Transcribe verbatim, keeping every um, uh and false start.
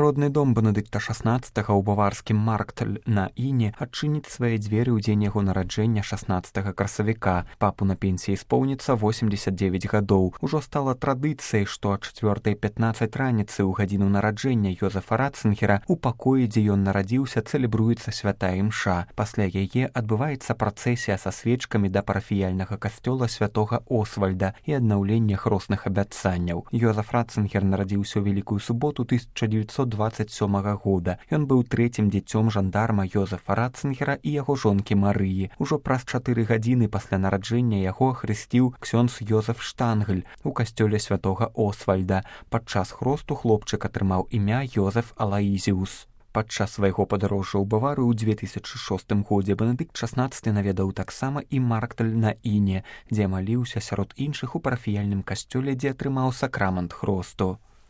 Родны дом Бенедыкта шаснаццатага ў баварскім Маркталь на Іне адчыніць свае дзверы ў дзень яго нараджэння шаснаццатага красавіка. Папу на пенсіі споўніцца восемдзесят дзевяць гадоў. Ужо стала традыцыяй, што а чацвёртай пятнаццаць раніцы ў гадзіну нараджэння Йозефа Ратцынгера у пакоі, дзе ён нарадзіўся, цэлебруецца святая імша. Пасля яе адбываецца працэсія са свечкамі да парафіяльнага касцёла святога Освальда і аднаўлення хросных абяцанняў. Йозеф Ратцынгер нарадзіўся ў Вялікую суботу тысяча дзевяцьсот дваццаць сёмага года. Ён быў трэцім дзіцём жандарма Йозефа Ратцынгера і яго жонкі Марыі. Ужо праз чатыры гадзіны пасля нараджэння яго ахрысціў ксёндз Йозеф Штангль у касцёле святога Освальда. Падчас хросту хлопчык атрымаў імя Йозеф Алаізіус. Падчас свайго падарожжа ў Баварыю ў дзве тысячы шостым годзе Бенедыкт шаснаццаты наведаў таксама і Маркталь на Іне, дзе маліўся сярод іншых у парафіяльным касцёле, дзе атрымаў сакрамент хросту.